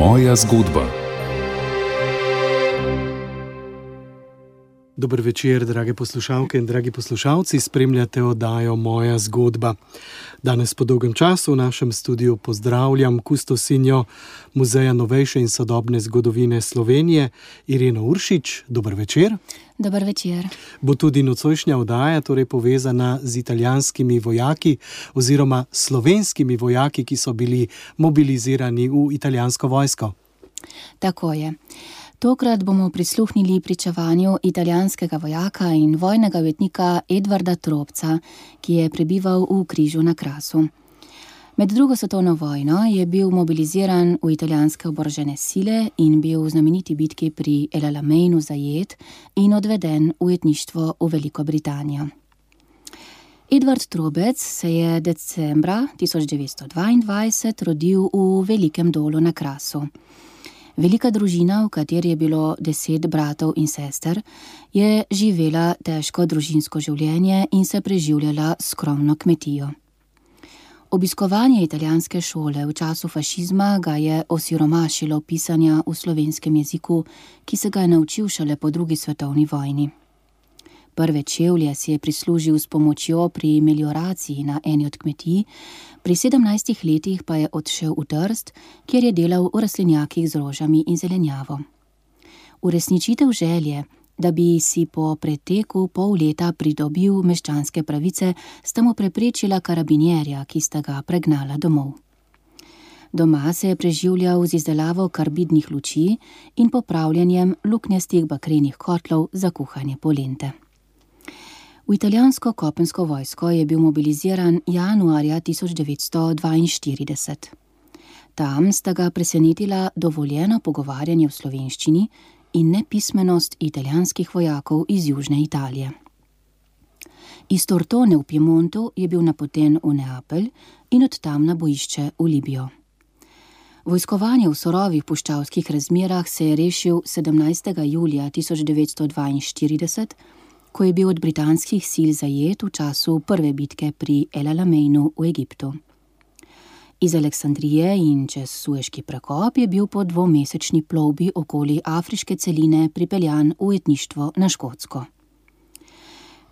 Moja zgodba. Dober večer, drage poslušalke in dragi poslušalci, spremljate oddajo Moja zgodba. Danes po dolgem času v našem studiu pozdravljam kustosinjo Muzeja novejše in sodobne zgodovine Slovenije, Ireno Uršič. Dober večer. Dober večer. Bo tudi nocojšnja oddaja torej povezana z italijanskimi vojaki oziroma slovenskimi vojaki, ki so bili mobilizirani v italijansko vojsko. Tako je. Tokrat bomo prisluhnili pričevanju italijanskega vojaka in vojnega ujetnika Edvarda Trobca, ki je prebival v Križu na Krasu. Med drugo svetovno vojno je bil mobiliziran v italijanske oborožene sile in bil v znameniti bitki pri El Alameinu zajet in odveden v ujetništvo v Veliko Britanijo. Edvard Trobec se je decembra 1922 rodil v Velikem Dolu na Krasu. Velika družina, v kateri je bilo 10 bratov in sester, je živela težko družinsko življenje in se preživljala skromno kmetijo. Obiskovanje italijanske šole v času fašizma ga je osiromašilo pisanja v slovenskem jeziku, ki se ga je naučil šele po drugi svetovni vojni. Prve čevlje si je prislužil s pomočjo pri melioraciji na eni od kmetij, pri 17 letih pa je odšel v Trst, kjer je delal v rastlinjakih z rožami in zelenjavo. Uresničitev želje, da bi si po preteku pol leta pridobil meščanske pravice, sta mu preprečila karabinjerja, ki sta ga pregnala domov. Doma se je preživljal z izdelavo karbidnih luči in popravljanjem luknjastih bakrenih kotlov za kuhanje polente. V italijansko kopensko vojsko je bil mobiliziran januarja 1942. Tam sta ga presenetila dovoljeno pogovarjanje v slovenščini in nepismenost italijanskih vojakov iz južne Italije. Iz Tortone v Piemontu je bil napoten v Neapelj in od tam na bojišče v Libijo. Vojskovanje v surovih puščavskih razmerah se je rešil 17. julija 1942, ko je bil od britanskih sil zajet v času prve bitke pri El Alameinu v Egiptu. Iz Aleksandrije in čez Sueški prekop je bil po 2-mesečni plovbi okoli afriške celine pripeljan v ujetništvo na Škotsko.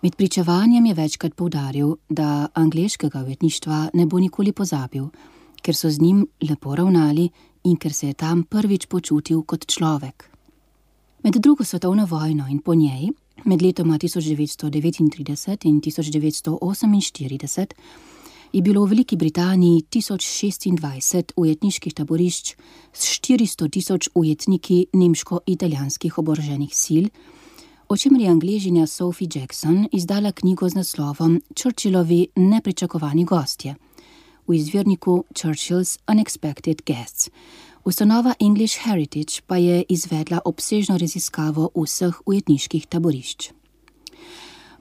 Med pričevanjem je večkrat poudaril, da angleškega ujetništva ne bo nikoli pozabil, ker so z njim lepo ravnali in ker se je tam prvič počutil kot človek. Med drugo svetovno vojno in po njej, med letoma 1939 in 1948, je bilo v Veliki Britaniji 1026 ujetniških taborišč s 400 000 ujetniki nemško-italijanskih oboroženih sil, o čemer je Angležinja Sophie Jackson izdala knjigo z naslovom Churchillovi nepričakovani gostje, v izvirniku Churchill's Unexpected Guests. Ustanova English Heritage pa je izvedla obsežno raziskavo vseh ujetniških taborišč.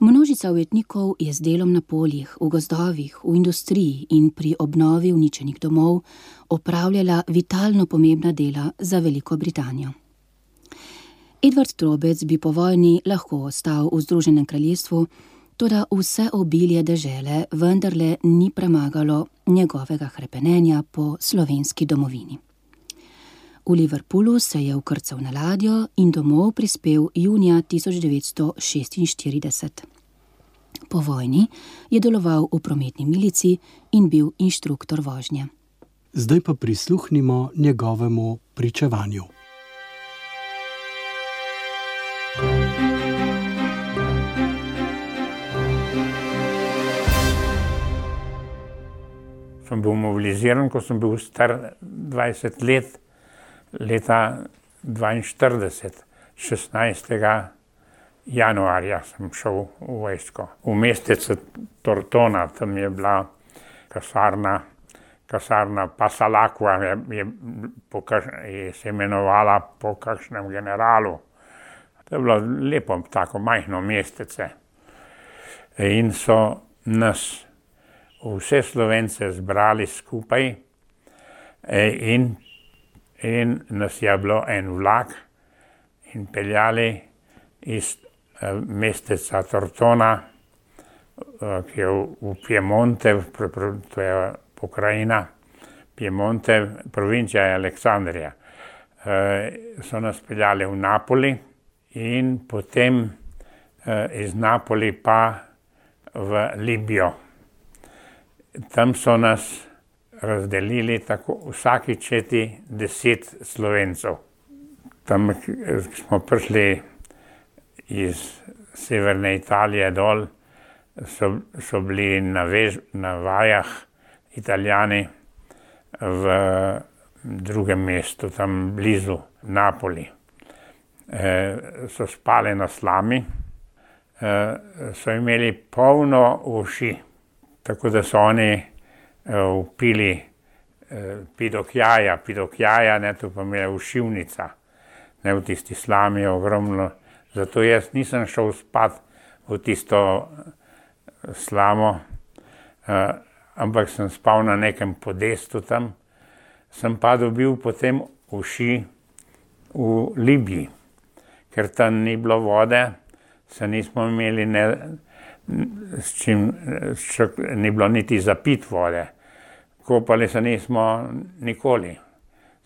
Množica ujetnikov je z delom na poljih, v gozdovih, v industriji in pri obnovi uničenih domov opravljala vitalno pomembna dela za Veliko Britanijo. Edvard Trobec bi po vojni lahko ostal v Združenem kraljestvu, toda vse obilje dežele vendarle ni premagalo njegovega hrepenenja po slovenski domovini. V Liverpoolu se je vkrcal na ladjo in domov prispel junija 1946. Po vojni je deloval v prometni milici in bil inštruktor vožnje. Zdaj pa prisluhnimo njegovemu pričevanju. Sem bil mobiliziran, ko sem bil star 20 let, leta 1942, 16. januarja sem šel v vojsko. V mestecu Tortona, tam je bila kasarna Passalacqua, je se imenovala po kakšnem generalu. To je bilo lepo, tako majhno mestece. In so nas, vse Slovence, zbrali skupaj in nas je bilo en vlak in peljali iz mesteca Tortona, ki je v Piemonte, to je pokrajina Piemonte, provincija je Aleksandrija. so nas peljali v Napoli in potem iz Napoli pa v Libijo. Tam so nas razdelili tako vsaki četi 10 Slovencev. Tam smo prišli iz severne Italije dol, so bili na vajah Italijani v drugem mestu, tam blizu Napoli. So spali na slami, so imeli polno uši, tako da so oni vpili pidokjaja, to pomeni ušivnica, ne, v tisti slami je ogromno. Zato jaz nisem šel spat v tisto slamo, ampak sem spal na nekem podestu tam. Sem pa dobil potem uši v Libiji, ker tam ni bilo vode, se nismo imeli ni bilo niti za pit vode. Kopali se nismo nikoli.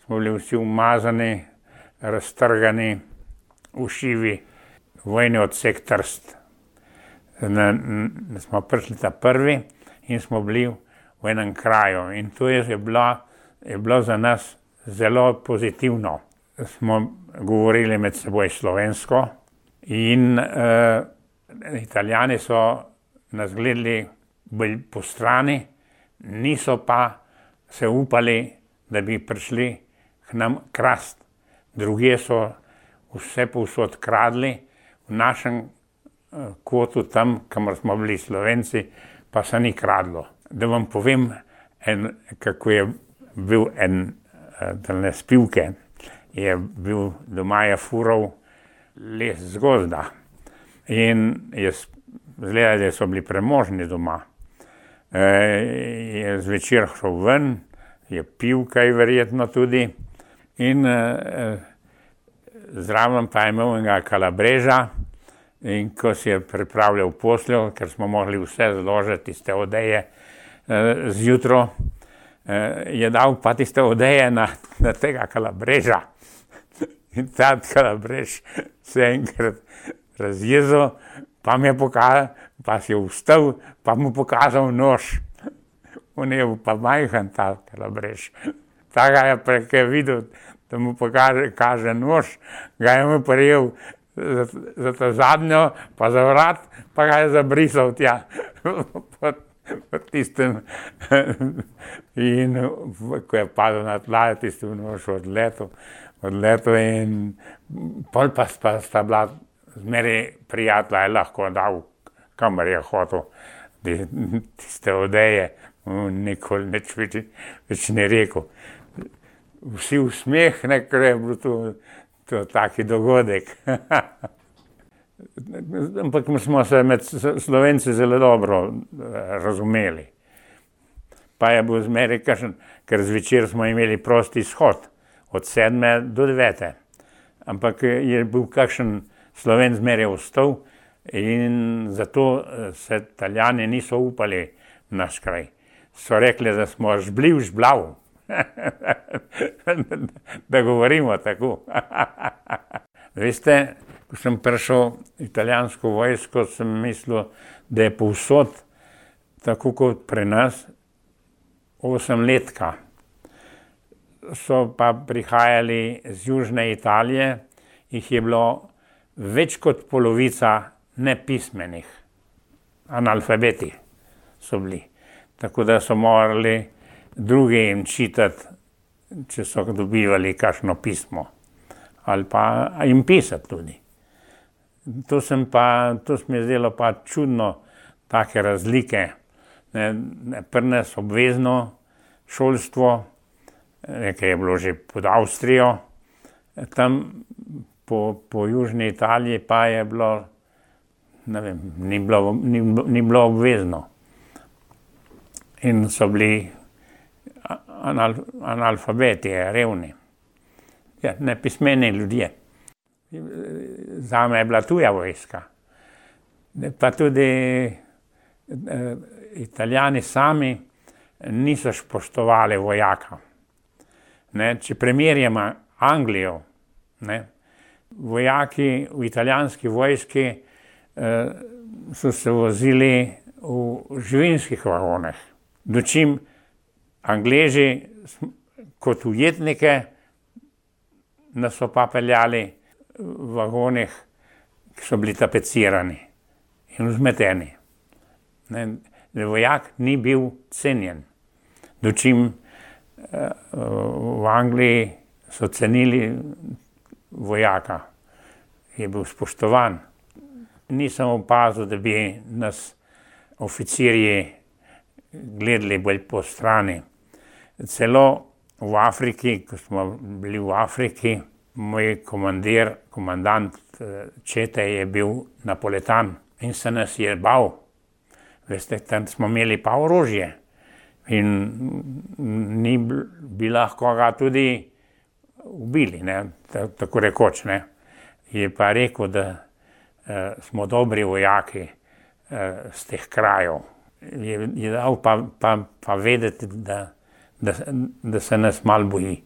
Smo bili vsi umazani, raztrgani, ušivi, vojni odsek Trst. Smo prišli ta prvi in smo bili v enem kraju in to je bilo za nas zelo pozitivno. Smo govorili med seboj slovensko in Italijani so nas gledali bolj po strani, niso pa se upali, da bi prišli k nam krast. Druge so vse povsod kradli, v našem kotu tam, kamor smo bili Slovenci, pa se ni kradlo. Da vam povem, kako je bil tale spivke, je bil doma je fural les z gozda in izgleda, da so bili premožni doma. Je zvečer šel ven, je pil kaj verjetno tudi in zraven pa je imel enega kalabreža in ko si je pripravljal posteljo, ker smo mogli vse zložiti iz te odeje zjutro, je dal pa tiste odeje na tega kalabreža. In ta kalabrež se enkrat razjezil, pa mi je pokazal, pa si je vstal, pa mu pokazal nož. On je pa majhen ta kalabrež. Ta ga je prekaj videl, da mu kaže nož, ga je mu prijel za ta zadnjo, pa za vrat, pa ga je zabrisal tja pod tistem. In ko je padel na tla, je tisti nož odletel in pol pa sta bila zmeraj prijatelja, je lahko dal, kamor je hotel tiste odeje, nikoli nič več ni rekel. Vsi v smeh, ker je bil to taki dogodek. Ampak smo se med Slovenci zelo dobro razumeli. Pa je bil zmeraj kakšen, ker zvečer smo imeli prosti izhod, od 7 do 9. Ampak je bil kakšen Slovenc zmeraj ostal in zato se Italijani niso upali v naš kraj. So rekli, da smo žblav. Da govorimo tako. Veste, ko sem prišel v italijansko vojsko, sem mislil, da je povsod, tako kot pri nas, 8-letka. So pa prihajali z južne Italije, jih je bilo več kot polovica nepismenih. Analfabeti so bili. Tako da so morali drugi jim čitati, če so dobivali kakšno pismo. Ali pa jim pisati tudi. To se mi je zdelo pa čudno, take razlike. Pri nas obvezno šolstvo, nekaj je bilo že pod Avstrijo, tam po južni Italiji pa je bilo, ne vem, ni bilo obvezno. In so bili analfabeti, revni, nepismeni ljudje. Zame je bila tuja vojska. Pa tudi Italijani sami niso spoštovali vojaka. Če primerjamo Anglijo. Ne. Vojaki v italijanski vojski so se vozili v živinskih vagonah. Dočim Angleži kot ujetnike nas so pa peljali v vagonih, ki so bili tapecirani in vzmeteni. Ne. Vojak ni bil cenjen. Dočim v Angliji so cenili vojaka, je bil spoštovan. Nisem opazil, da bi nas oficirji gledali bolj po strani. Celo v Afriki, ko smo bili v Afriki, moj komandant čete je bil Napoletan in se nas je bal. Veste, tam smo imeli pa orožje in bi lahko ga tudi ubili, ne, tako rekoč, ne. Je pa rekel, da smo dobri vojaki z teh krajev. Je dal pa vedeti, da se nas malo boji.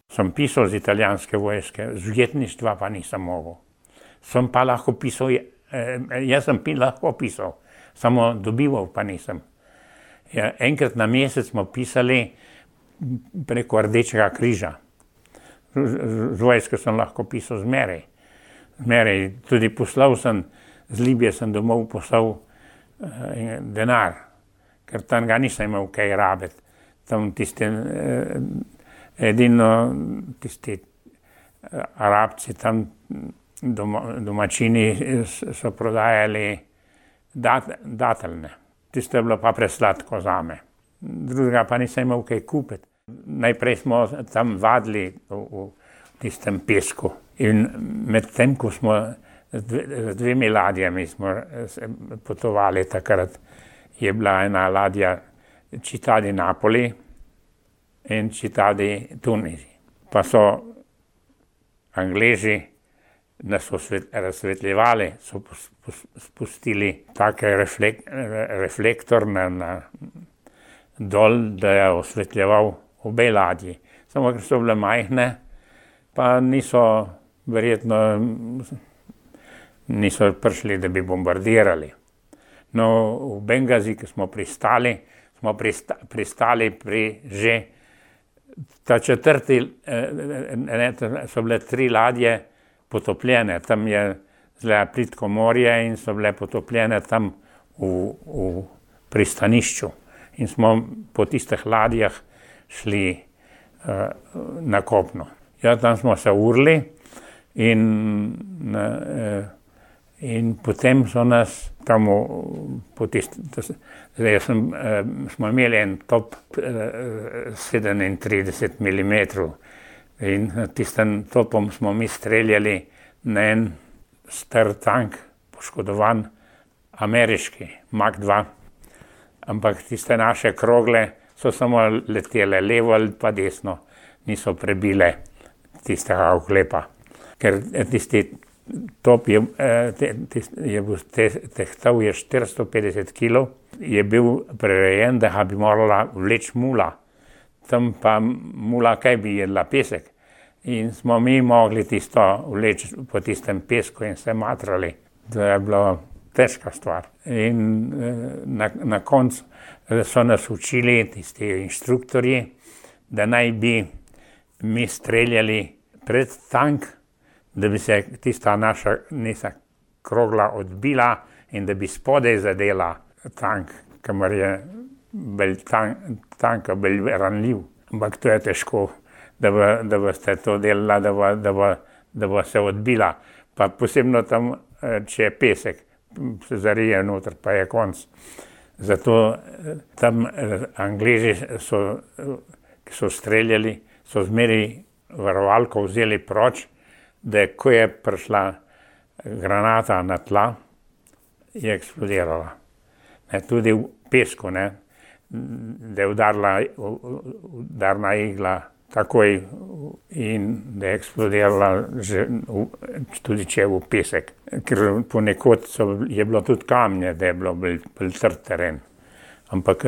Sem pisal z italijanske vojske, z ujetništva pa nisem mogel. Sem pa lahko pisal, jaz sem lahko pisal, samo dobival pa nisem. Ja, enkrat na mesec smo pisali preko Rdečega križa. Z vojske sem lahko pisal zmeraj. Tudi poslal sem, z Libije sem domov poslal denar, ker tam ga nisem imel kaj rabiti. Tam tisti Arabci, tam domačini so prodajali dateljne. Tisto je bilo pa presladko zame. Drugega pa nisem imel kaj kupiti. Najprej smo tam vadili v tistem pesku in med tem, ko smo z dvemi ladjami smo potovali takrat, je bila ena ladja Città di Napoli in Città di Tunisi. Pa so Angleži nas razsvetljevali, so spustili tak reflektor dol, da je osvetljeval obe ladji. Samo ker so bile majhne, pa verjetno niso prišli, da bi bombardirali. No, v Bengazi, ko smo pristali pri že ta četrti, so bile 3 ladje potopljene, tam je zelo plitko morje in so bile potopljene tam v pristanišču. In smo po tistih ladjah šli na kopno. Ja, tam smo se urili in potem so nas tam smo imeli en top 37 mm in tistem topom smo mi streljali na en star tank, poškodovan, ameriški, Mark II. Ampak tiste naše krogle so samo letele levo ali pa desno, niso prebile tistega oklepa. Ker tisti top je bil tehtal 450 kg, je bil prirejen, da ga bi morala vleči mula. Tam pa mula kaj bi jedla, pesek. In smo mi mogli tisto vleči po tistem pesku in se matrali. To je bilo težka stvar. In na koncu so nas učili tisti inštruktorji, da naj bi mi streljali pred tank, da bi se tista naša krogla odbila in da bi spodaj zadela tank, kamor je tank bolj ranljiv. Ampak to je težko, da boste to delala, da bo se odbila. Pa posebno tam, če je pesek, se zarije noter, pa je konc. Zato tam Angleži, ki so streljali, so zmeraj varovalko vzeli proč, da ko je prišla granata na tla, je eksplodirala. Tudi v pesku, da je udarna igla takoj in da je eksplodirala tudi če je v pesek. Ker ponekod je bilo tudi kamnje, da je bilo bolj trd teren. Ampak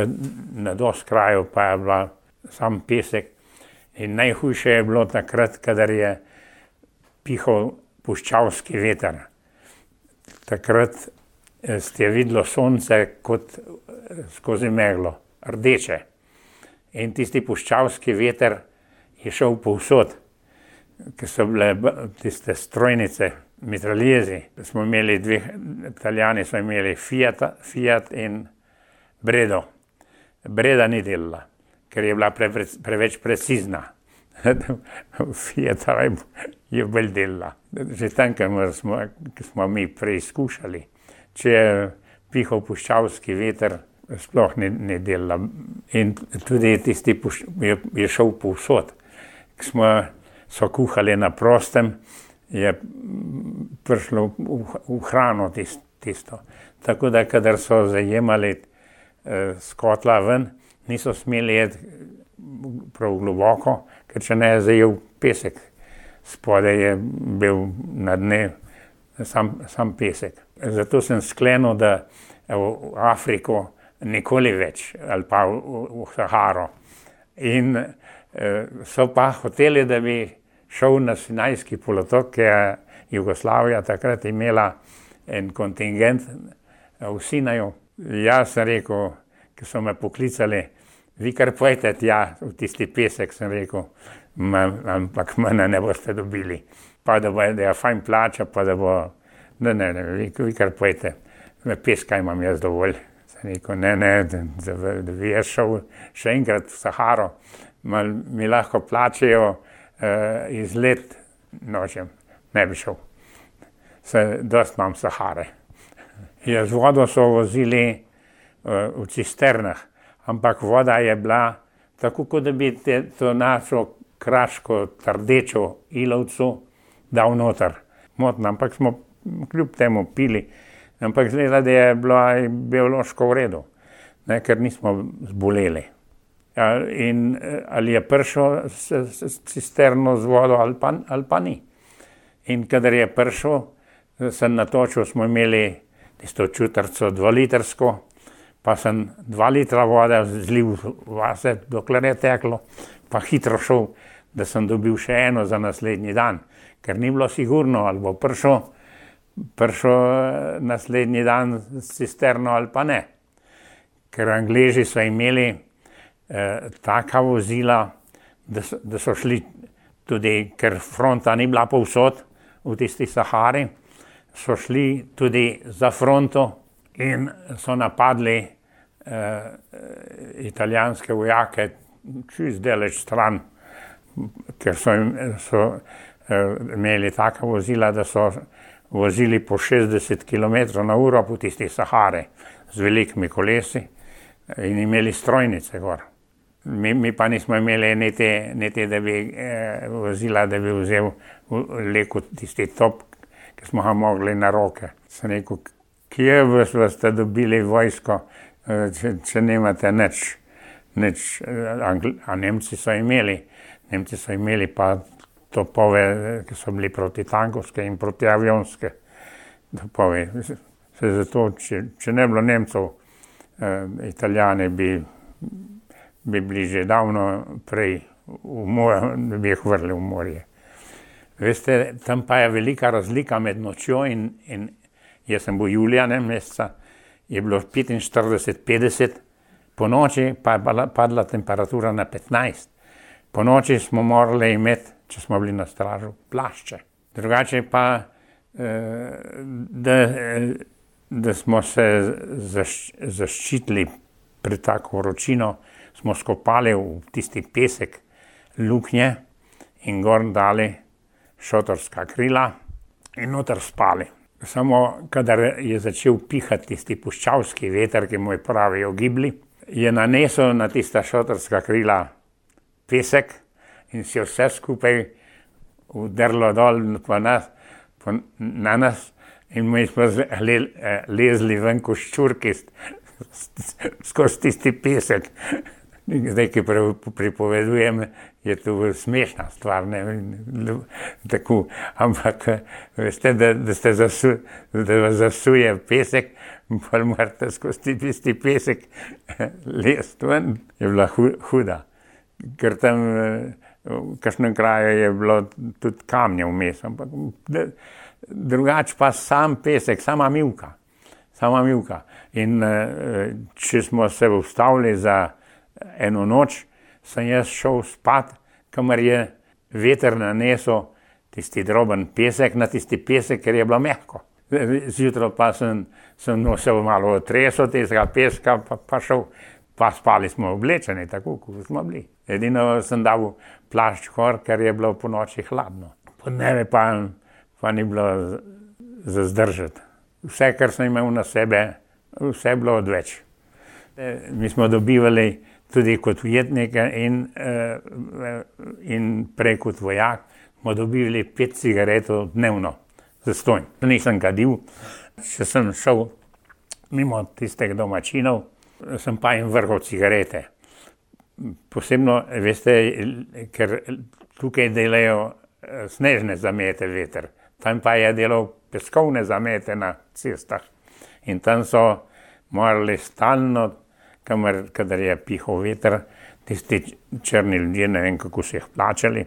na dosti kraju pa je bila sam pesek In najhujše je bilo takrat, kadar je pihal puščavski veter. Takrat ste videlo sonce kot skozi meglo, rdeče. In tisti puščavski veter je šel povsod, ker so bile tiste strojnice, mitraljezi. Smo imeli Italijani so imeli Fiat in Bredo. Breda ni delala, ker je bila preveč precizna. Fiata je bolj delala. Že tam, ko smo mi preizkušali, če je pihal puščavski veter, sploh ni delala. In tudi tisti je šel povsod. Ko so kuhali na prostem, je prišlo v hrano tisto. Tako da, kadar so zajemali s kotla ven, niso smeli jeti prav globoko, ker če ne je zajel pesek. Spodaj je bil na dne sam pesek. Zato sem sklenil, da v Afriko nikoli več, ali pa v Saharo. In so pa hoteli, da bi šel na Sinajski polotok, ki je Jugoslavija takrat imela en kontingent v Sinaju. Jaz sem rekel, ki so me poklicali, vi kar pojete tja v tisti pesek, sem rekel, ampak mene ne boste dobili. Pa da je fajn plača, pa da bo, ne, vi kar pojete, peska imam jaz dovolj. Sem rekel, ne, da bi jaz šel še enkrat v Saharo, mi lahko plačajo izlet nočem, ne bi šel. Dost imam Sahare. Z vodo so vozili v cisternah, ampak voda je bila tako, kot da bi to našo kraško, trdečo ilovcu dal noter. Motno, ampak smo kljub temu pili. Ampak zgleda, da je bila biološko v redu, ne, ker nismo zboleli. In ali je prišel s cisterno z vodo ali pa ni. In kadar je prišel, sem natočil, smo imeli tisto čutrco 2-litrsko, pa sem 2 litra vode zlil vase, dokler je teklo, pa hitro šel, da sem dobil še eno za naslednji dan, ker ni bilo sigurno, ali bo prišel naslednji dan s cisterno ali pa ne. Ker Angleži so imeli taka vozila, da so šli tudi, ker fronta ni bila povsod v tisti Sahari, so šli tudi za fronto in so napadli italijanske vojake čist daleč stran, ker so imeli taka vozila, da so vozili po 60 km/h po tisti Sahari z velikimi kolesi in imeli strojnice gor. Mi pa nismo imeli niti da bi vozila, da bi vzel leku tisti top, ki smo ga mogli na roke. Sem rekel, kje ste dobili vojsko, če nimate nič. A Nemci so imeli pa topove, ki so bili protitankovske in protiavionske topove. Zato, če ne bilo Nemcev, Italijani bi bili že davno prej da bi jih vrli v morje. Veste, tam pa je velika razlika med nočjo in jaz sem bil julija meseca, je bilo 45-50, po noči pa je padla temperatura na 15. Po noči smo morali imeti, če smo bili na stražu, plašče. Drugače pa, da smo se zaščitili pred tako vročino, smo skopali v tisti pesek luknje in gor dali šotorska krila in noter spali. Samo kadar je začel pihati tisti puščavski veter, ki mu pravijo gibli, je nanesel na tista šotorska krila pesek in si vse skupaj vdrlo dol na nas in mi smo lezli ven kot ščurki skozi tisti pesek. Zdaj, ki pripovedujem, je to smešna stvar, ne, tako, ampak veste, da vas zasuje pesek, pa morate skozi tisti pesek lezti ven, je bila huda. Ker tam v kakšnem kraju je bilo tudi kamnje vmes, ampak drugače pa sam pesek, sama mivka. In če smo se ustavili za eno noč, sem jaz šel spat, kamor je veter nanesel tisti droben pesek na tisti pesek, ker je bilo mehko. Zjutraj pa sem se malo otresel tistega peska, pa šel, pa spali smo oblečeni, tako kot smo bili. Edino sem dal plašč gor, ker je bilo po noči hladno. Podneve pa ni bilo za zdržati. Vse, kar sem imel na sebe, vse je bilo odveč. Mi smo dobivali tudi kot ujetnike in prej kot vojak, smo dobivali 5 cigaretov dnevno, zastonj. Nisem kadil, če sem šel mimo tistih domačinov, sem pa jim vrgel cigarete. Posebno, veste, ker tukaj delajo snežne zamete veter, tam pa je delal peskovne zamete na cestah. In tam so morali stalno, kadar je pihal veter, tisti črni ljudje, ne vem, kako so jih plačali,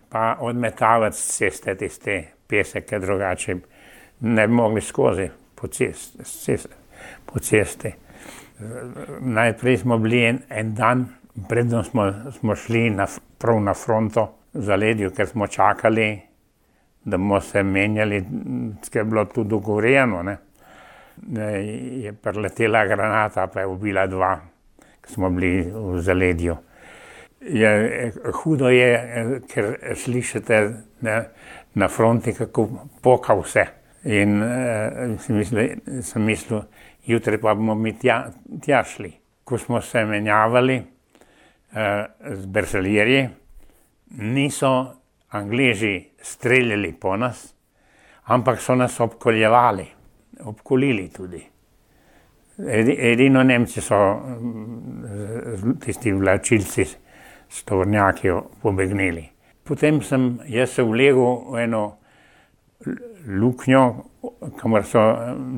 pa odmetavati z ceste tiste pesek, ker drugače ne bi mogli skozi po cesti. Najprej smo bili en dan, predno smo šli prav na fronto v Zaledju, ker smo čakali, da bomo se menjali, ker je bilo tudi dogovorjeno, ne. Je priletela granata, pa je ubila 2, ki smo bili v Zaledju. Hudo je, ker slišite na fronti, kako poka vse. In sem mislil, jutri pa bomo mi tja šli. Ko smo se menjavali z bersaljeri, niso Angleži streljali po nas, ampak so nas obkolili tudi. Edino Nemci so tisti vlačilci s tovornjaki pobegnili. Potem sem jaz se vlegel v eno luknjo, kamor so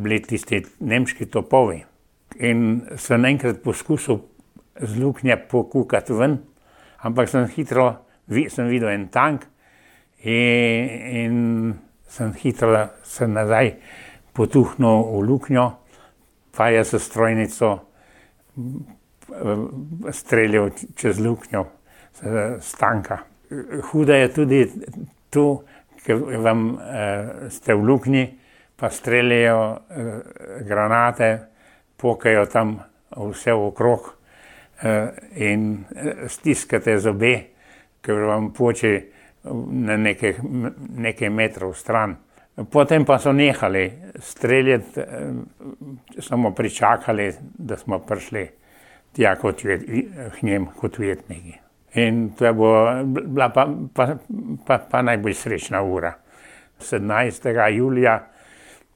bili tisti nemški topovi. In sem enkrat poskusil z luknje pokukati ven, ampak sem videl en tank in sem hitro se nazaj potuhnil v luknjo, pa je s strojnico streljal čez luknjo s tanka. Huda je tudi tu, ker vam ste v luknji, pa streljajo granate, pokajo tam vse okrog in stiskate zobe, ker vam poče na nekaj metrov stran. Potem pa so nehali streljati, samo pričakali, da smo prišli tja k njim kot ujetniki. In to je bila pa najbolj srečna ura. 17. julija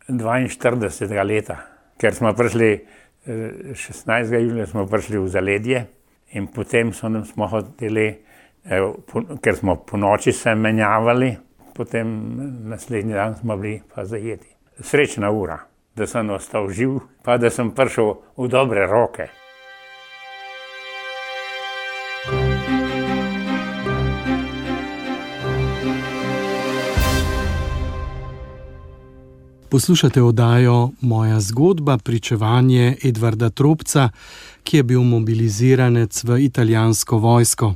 42. leta, ker smo prišli, 16. julija smo prišli v Zaledje in potem smo hoteli, ker smo po noči se menjavali, potem naslednji dan smo bili pa zajeti. Srečna ura, da sem ostal živ, pa da sem prišel v dobre roke. Poslušate oddajo Moja zgodba, pričevanje Edvarda Tropca, ki je bil mobiliziranec v italijansko vojsko.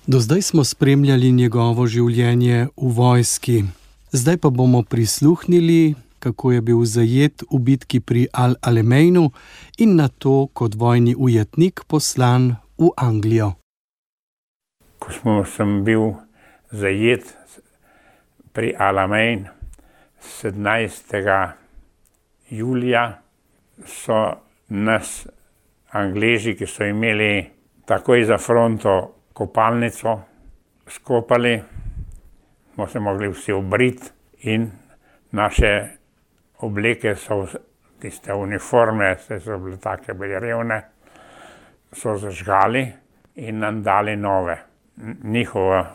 Do zdaj smo spremljali njegovo življenje v vojski. Zdaj pa bomo prisluhnili, kako je bil zajet v bitki pri Al-Alameinu in nato kot vojni ujetnik poslan v Anglijo. Ko sem bil zajet pri Al-Alamein 17. julija, so nas Angleži, ki so imeli takoj za fronto kopalnico, skopali, smo se mogli vsi obriti in naše obleke so, tiste uniforme, so bile take bolj revne, so zažgali in nam dali nove. Njihove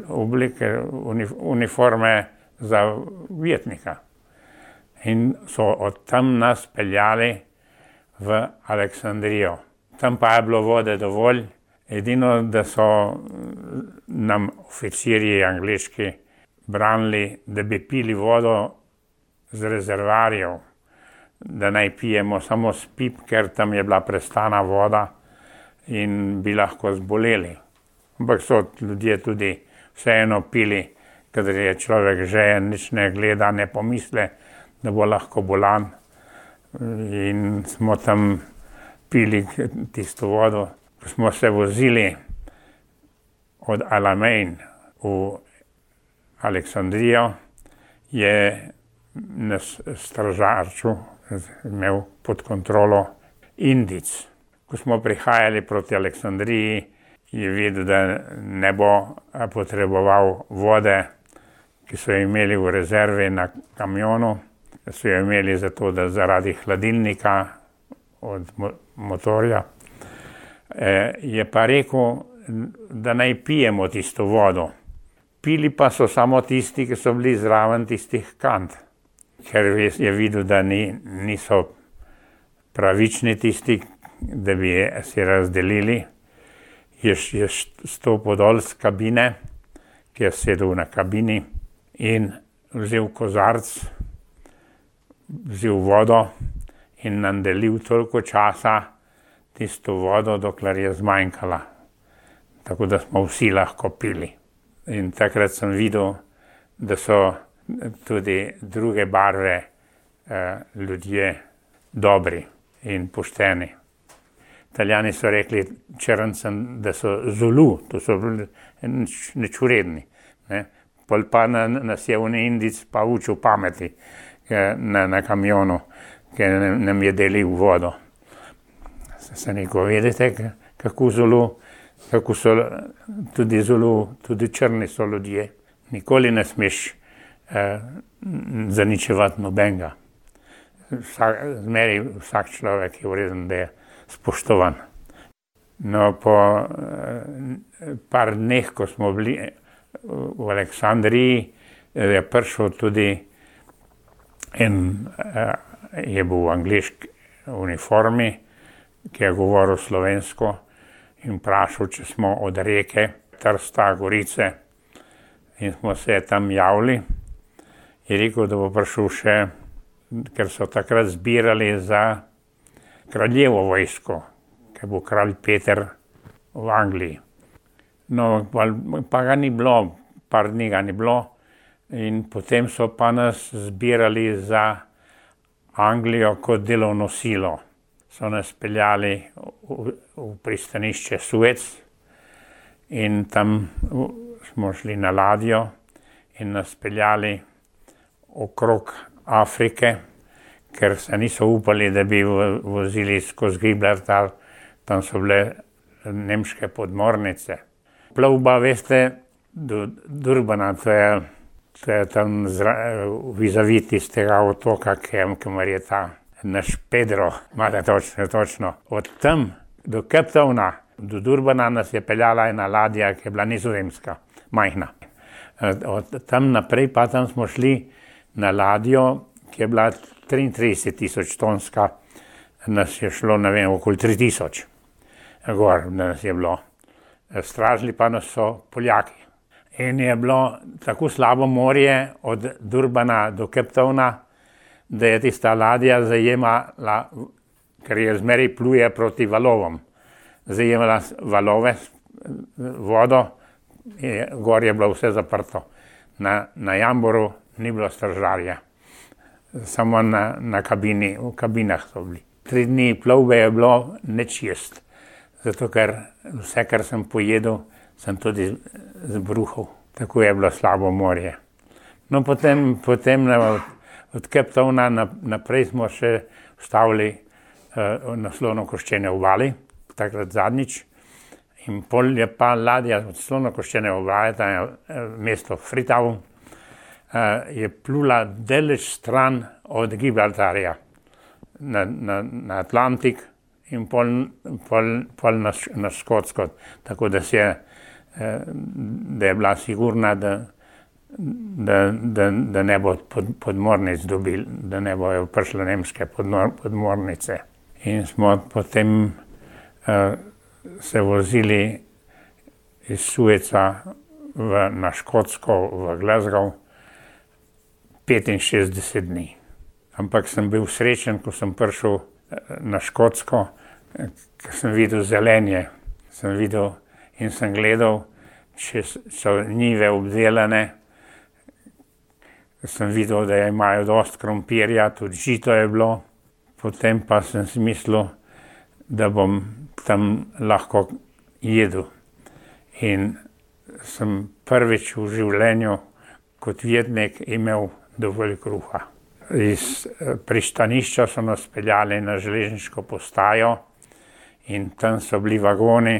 oblike, uniforme za ujetnika. In so od tam nas peljali v Aleksandrijo. Tam pa je bilo vode dovolj Edino, da so nam oficirji angleški branili, da bi pili vodo z rezervoarjev, da naj pijemo samo s pip, ker tam je bila prestana voda in bi lahko zboleli. Ampak so ljudje tudi vseeno pili, kadar je človek žejen, nič ne gleda, ne pomisle, da bo lahko bolan. In smo tam pili tisto vodo. Ko smo se vozili od Alamein v Aleksandrijo, je nas stražarču imel pod kontrolo Indic. Ko smo prihajali proti Aleksandriji, je videl, da ne bo potreboval vode, ki so jo imeli v rezervi na kamionu. So jo imeli zato, da zaradi hladilnika od motorja. Je pa rekel, da naj pijemo tisto vodo. Pili pa so samo tisti, ki so bili zraven tistih kant. Ker je videl, da niso pravični tisti, da bi si razdelili. Je stopil dol z kabine, ki je sedel na kabini in vzel kozarc, vzel vodo in nam delil toliko časa tisto vodo, dokler je zmanjkala. Tako da smo vsi lahko pili. In takrat sem videl, da so tudi druge barve ljudje dobri in pošteni. Italijani so rekli črncem, da so Zulu, to so bili nečuredni. Pol pa nas je Indic pa učil pameti na kamionu, ker nam je delil vodo. Se neko vedete, kako so tudi Zulu, tudi črni so ljudje. Nikoli ne smeš zaničevati nobenega. Zmeri vsak človek je vreden, da je spoštovan. No, po par dneh, ko smo bili v Aleksandriji, je prišel tudi je bil v angleški uniformi, ki je govoril slovensko in vprašal, če smo od reke Trsta, Gorice, in smo se tam javili. Je rekel, da bo prišel še, ker so takrat zbirali za kraljevo vojsko, ker bo kralj Peter v Angliji. No, pa ga ni bilo, par dni ga ni bilo, in potem so pa nas zbirali za Anglijo kot delovno silo. So nas peljali v pristanišče Suez in tam smo šli na ladjo in nas peljali okrog Afrike, ker se niso upali, da bi vozili skozi Gibraltar, tam so bile nemške podmornice. Plovba, veste, do Durbana, to je tam vizavi tistega otoka, kamor je ta naš Pedro, imate točno. Od tam do Cape Towna, do Durbana nas je peljala ena ladja, ki je bila nizozemska, majhna. Od tam naprej pa tam smo šli na ladjo, ki je bila 33,000 tonska, nas je šlo, ne vem, okoli 3,000 gor, nas je bilo. Stražili pa nas so Poljaki. In je bilo tako slabo morje od Durbana do Cape Towna, da je tista ladja zajemala, ker je zmeraj pluje proti valovom, zajemala valove, vodo, gor je bilo vse zaprto. Na Jamboru ni bilo stražarja, samo na kabini, v kabinah so bili. 3 dni plovbe je bilo nič jesti, zato ker vse, kar sem pojedel, sem tudi zbruhal. Tako je bilo slabo morje. No, potem od Cape Towna naprej smo še vstavili na Slonokoščene obali, takrat zadnjič. In pol je pa ladja od Slonokoščene obale, tam je mesto Freetown, je plula daleč stran od Gibraltarja na Atlantik in pol na Škotsko. Tako da je bila sigurna, da ne bo podmornic dobil, da ne bojo prišle nemške podmornice. In smo potem se vozili iz Sueca na Škotsko, v Glasgow, 65 dni. Ampak sem bil srečen, ko sem prišel na Škotsko, ker sem videl zelenje. Sem videl in sem gledal, če so njive obdelane. Sem videl, da imajo dosti krompirja, tudi žito je bilo. Potem pa sem si mislil, da bom tam lahko jedel. In sem prvič v življenju kot jetnik imel dovolj kruha. Iz pristanišča so nas peljali na železniško postajo in tam so bili vagoni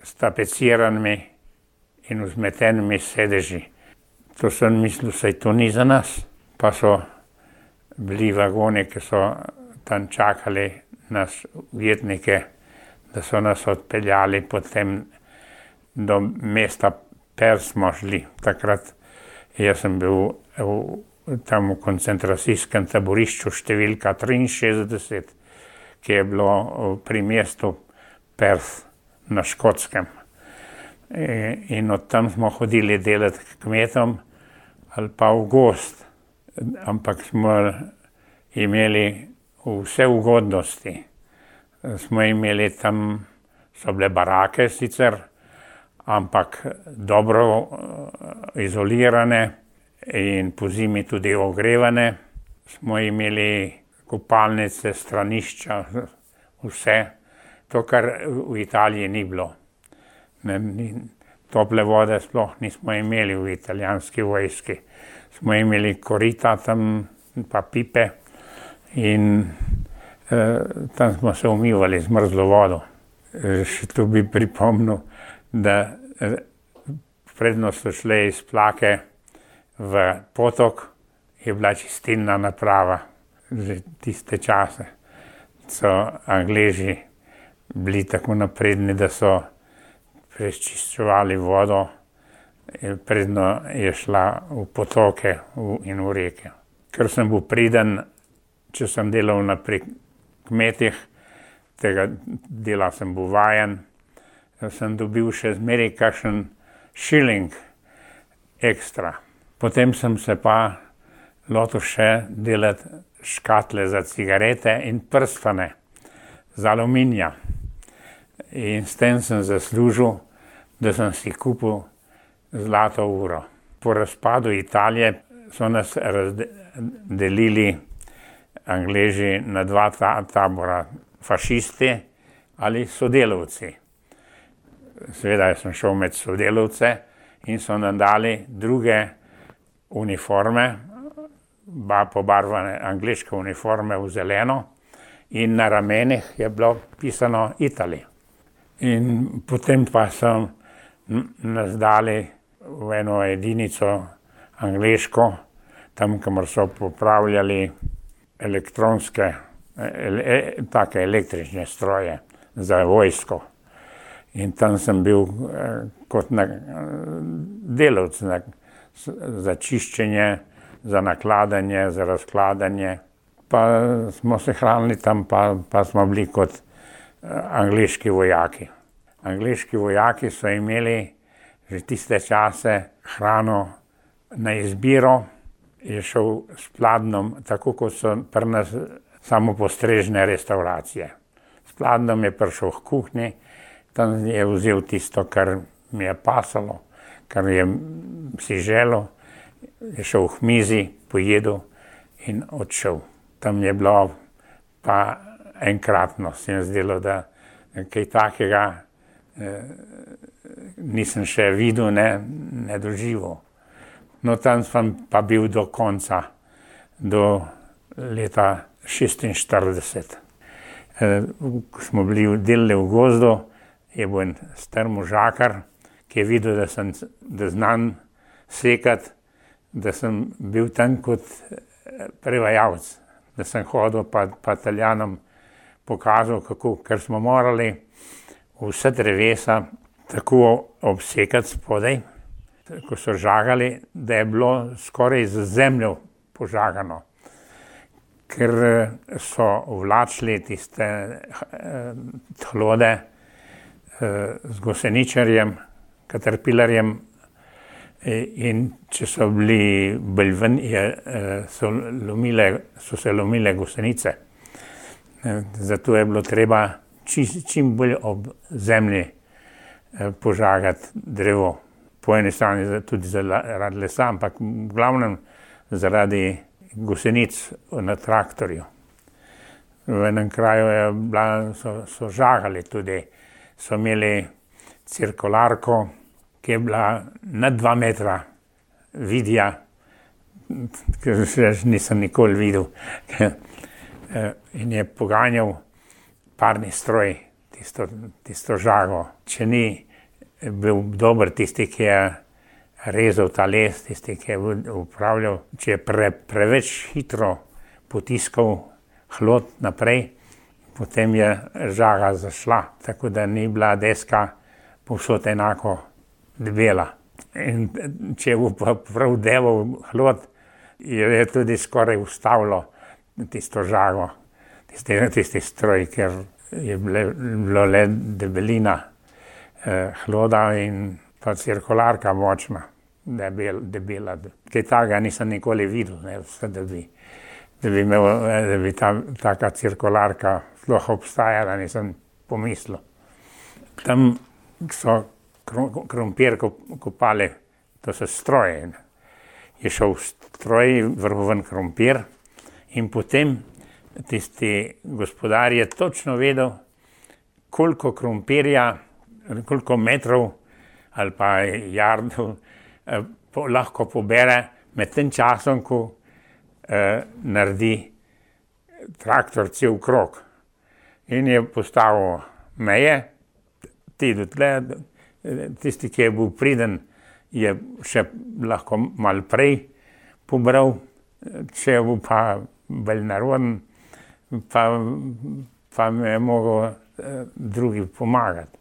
s tapeciranimi in vzmetenimi sedeži. To sem mislil, saj to ni za nas. Pa so bili vagoni, ki so tam čakali nas ujetnike, da so nas odpeljali potem do mesta Perth smo šli. Takrat jaz sem bil tam v koncentracijskem taborišču številka 63, ki je bilo pri mestu Perth na Škotskem. In od tam smo hodili delati k kmetom ali pa v gozd. Ampak smo imeli vse ugodnosti. Smo imeli tam, so bile barake sicer, ampak dobro izolirane in pozimi tudi ogrevane. Smo imeli kopalnice, stranišča, vse. To, kar v Italiji ni bilo. Tople vode sploh nismo imeli v italijanski vojski. Smo imeli korita tam, pa pipe in tam smo se umivali z mrzlo vodo. Še tu bi pripomnil, da predno so šle iz Plake v potok, je bila čistilna naprava. Že tiste čase so Angleži bili tako napredni, da so prečiščevali vodo, predno je šla v potoke in v reke. Ker sem bil priden, če sem delal pri kmetih, tega dela sem bil vajen, sem dobil še zmeraj kakšen šiling ekstra. Potem sem se pa lotil še delati škatle za cigarete in prstane z aluminija. In s tem sem zaslužil, da sem si kupil zlato uro. Po razpadu Italije so nas razdelili Angleži na dva tabora, fašisti ali sodelavci. Seveda sem šel med sodelavce in so nam dali druge uniforme, pobarvane angleške uniforme v zeleno in na ramenih je bilo pisano Italy. In potem pa so nas dali v eno edinico angleško, tam, kamor so popravljali elektronske, take električne stroje za vojsko. In tam sem bil kot delavec za čiščenje, za nakladanje, za razkladanje. Pa smo se hranili tam, pa smo bili kot angleški vojaki. Angleški vojaki so imeli že tiste čase hrano na izbiro, je šel s pladnjem, tako kot so pri nas samopostrežne restauracije. S pladnjem je prišel v kuhinji, tam je vzel tisto, kar mi je pasalo, kar je si želel, je šel k mizi, pojedel in odšel. Tam je bilo pa enkratno, se mi zdelo, da kaj takega nisem še videl, ne doživel. No, tam sem pa bil do konca, do leta 1946. Ko smo bili delali v gozdu, je bil en star možakar, ki je videl, da znam sekati, da sem bil tam kot prevajalec, da sem hodil pa Italijanom pokazal, kako, ker smo morali vse drevesa tako obsekati spodaj, ko so žagali, da je bilo skoraj z zemljo požagano. Ker so vlačili tiste hlode z goseničarjem, caterpillarjem, in če so bili bolj ven, so se lomile gosenice. Zato je bilo treba čim bolj ob zemlji požagati drevo. Po eni strani tudi zaradi lesa, ampak v glavnem zaradi gosenic na traktorju. V enem kraju so žagali tudi, so imeli cirkularko, ki je bila na 2 metra vidja, ker še nisem nikoli videl. In je poganjal parni stroj, tisto žago. Če ni bil dober tisti, ki je rezal ta les, tisti, ki je upravljal, če je preveč hitro potiskal hlod naprej, potem je žaga zašla, tako da ni bila deska povsod enako debela. In če je prav deval hlod, je tudi skoraj ustavilo tisto žago, tisti stroj, ker je bilo le debelina hloda in pa cirkularka močna, debela. Kaj takega nisem nikoli videl, da bi taka cirkularka sploh obstajala, nisem pomislil. Tam so krompir kopali, to so stroje. Je šel stroj, vrgel ven krompir in potem tisti gospodar je točno vedel, koliko krompirja, koliko metrov ali pa jardov lahko pobere med tem časom, ko naredi traktor cel krog. In je postavil meje, tisti, ki je bil priden, je še lahko malo prej pobral, če je bil pa bolj naroden, pa mi je mogel drugi pomagati.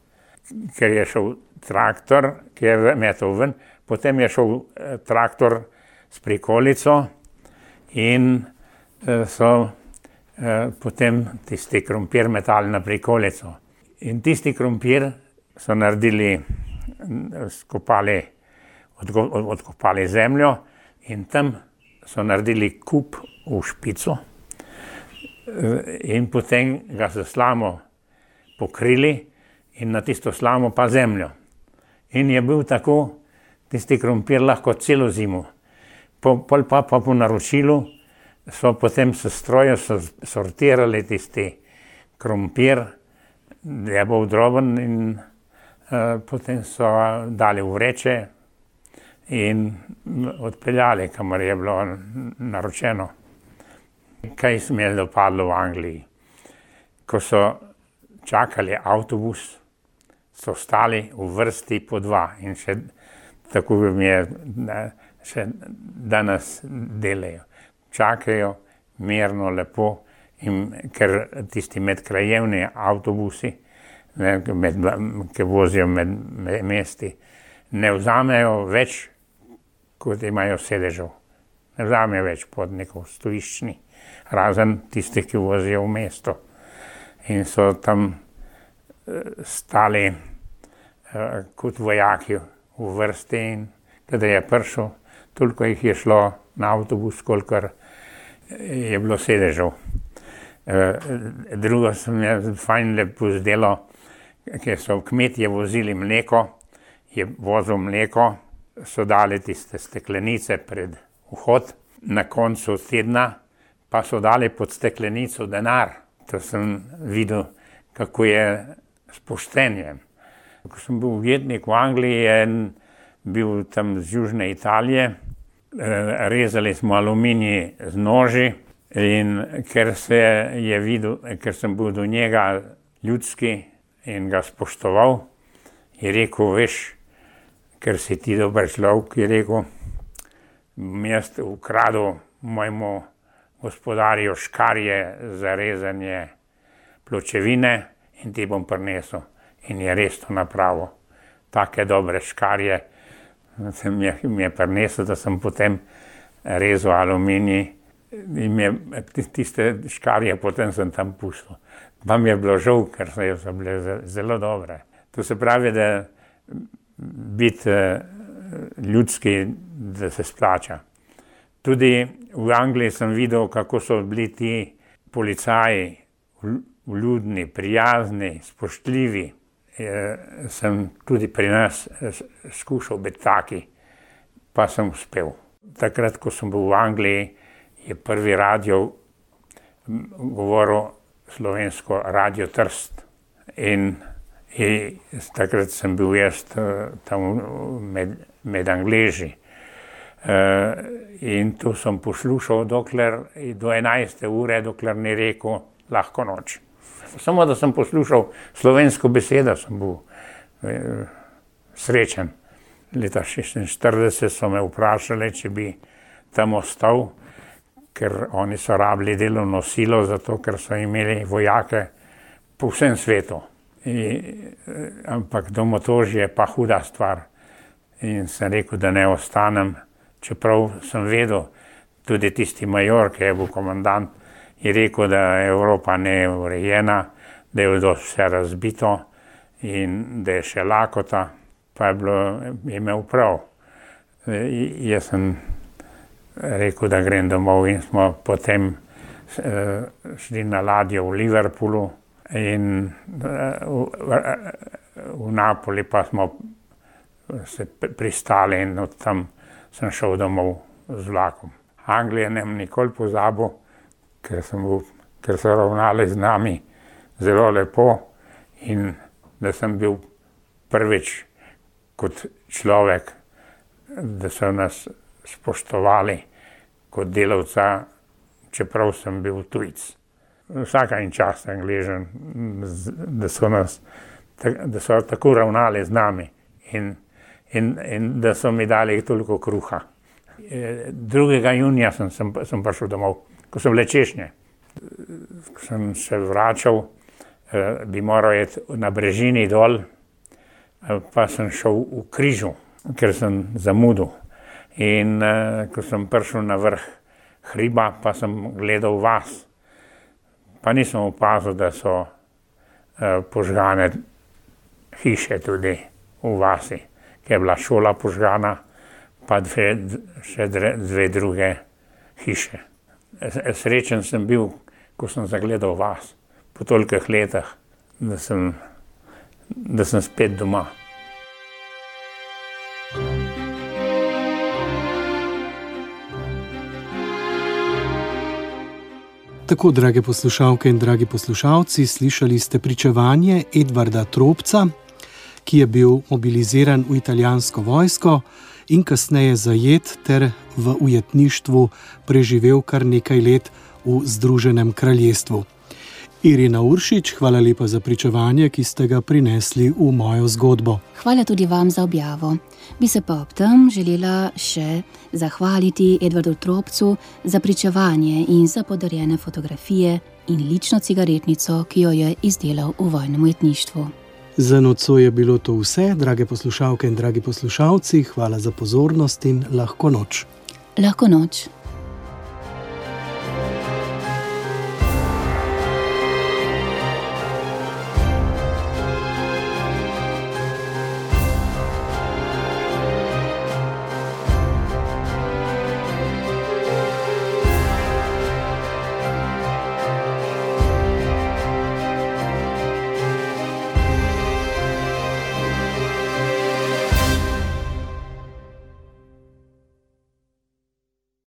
Ker je šel traktor, ki je metal ven, potem je šel traktor s prikolico in so potem tisti krompir metali na prikolico. In tisti krompir so naredili, odkopali zemljo in tam so naredili kup v špico in potem ga s slamo pokrili in na tisto slamo pa zemljo. In je bil tako tisti krompir lahko celo zimo. Pol pa po naročilu so potem s strojem sortirali tisti krompir, da je bil droben in potem so dali v vreče in odpeljali, kamor je bilo naročeno. Kaj se mi je dopadlo v Angliji? Ko so čakali avtobus, so stali v vrsti po 2 in še tako mi je še danes delajo. Čakajo mirno, lepo, in ker tisti medkrajevni avtobusi, ki vozijo med mesti, ne vzamejo več, kot imajo sedežev. Ne vzamejo več potnikov, stojiščni, razen tistih, ki vozijo v mesto. In so tam stali kot vojaki v vrsti in kada je prišel, toliko jih je šlo na avtobus, kolikor je bilo sedežev. Drugo se mi je fajn lepo zdelo, ker so kmetje vozili mleko, je vozil mleko, so dali tiste steklenice pred vhod, na koncu tedna pa so dali pod steklenico denar. To sem videl, kako je s poštenjem. Ko sem bil ujetnik v Angliji, je bil tam z južne Italije, rezali smo aluminij z noži in ker sem bil do njega ljudski in ga spoštoval, je rekel, veš, ker si ti dober človek, je rekel, jaz ukradel mojemu gospodarju škarje za rezanje pločevine in ti bom prinesel. In je res to napravil. Take dobre škarje mi je prinesel, da sem potem rezal aluminij in tiste škarje potem sem tam pustil. Pa mi je bilo žal, ker so bile zelo dobre. To se pravi, da biti ljudski, da se splača. Tudi v Angliji sem videl, kako so bili ti policaji vljudni, prijazni, spoštljivi. Sem tudi pri nas skušal biti taki, pa sem uspel. Takrat, ko sem bil v Angliji, je prvi radio govoril slovensko Radio Trst. In takrat sem bil jaz tam med Angleži. In tu sem poslušal do 11. ure, dokler ni rekel lahko noč. Samo da sem poslušal slovensko besedo, sem bil srečen. Leta 1946 so me vprašali, če bi tam ostal, ker oni so rabili delovno silo, zato ker so imeli vojake po vsem svetu. Ampak domotožje je pa huda stvar. In sem rekel, da ne ostanem, čeprav sem vedel, tudi tisti major, ki je bil komandant, je rekel, da Evropa ne je urejena, da je vse razbito in da je še lakota, pa je imel prav. Jaz sem rekel, da grem domov in smo potem šli na ladjo v Liverpoolu in v Napoli pa smo se pristali in od tam sem šel domov z vlakom. Anglije ne bom nikoli pozabil, ker so ravnali z nami zelo lepo in da sem bil prvič kot človek, da so nas spoštovali kot delavca, čeprav sem bil tujec. Vsaka in čast Angležem, da so tako ravnali z nami in da so mi dali toliko kruha. 2. junija sem prišel domov, ko so bile češnje. Ko sem se vračal, bi moral iti na brežini dol, pa sem šel v križu, ker sem zamudil. In ko sem prišel na vrh hriba, pa sem gledal vas. Pa nisem opazil, da so požgane hiše tudi v vasi, ki je bila šola požgana, pa še dve druge hiše. Srečen sem bil, ko sem zagledal vas po tolikih letih, da sem spet doma. Tako, drage poslušalke in dragi poslušalci, slišali ste pričevanje Edvarda Tropca, ki je bil mobiliziran v italijansko vojsko in kasneje zajet ter v ujetništvu preživel kar nekaj let v Združenem kraljestvu. Irina Uršič, hvala lepa za pričevanje, ki ste ga prinesli v mojo zgodbo. Hvala tudi vam za objavo. Bi se pa ob tem želela še zahvaliti Edvardu Tropcu za pričevanje in za podarjene fotografije in lično cigaretnico, ki jo je izdelal v vojnem ujetništvu. Za nocoj je bilo to vse, drage poslušalke in dragi poslušalci. Hvala za pozornost in lahko noč. Lahko noč.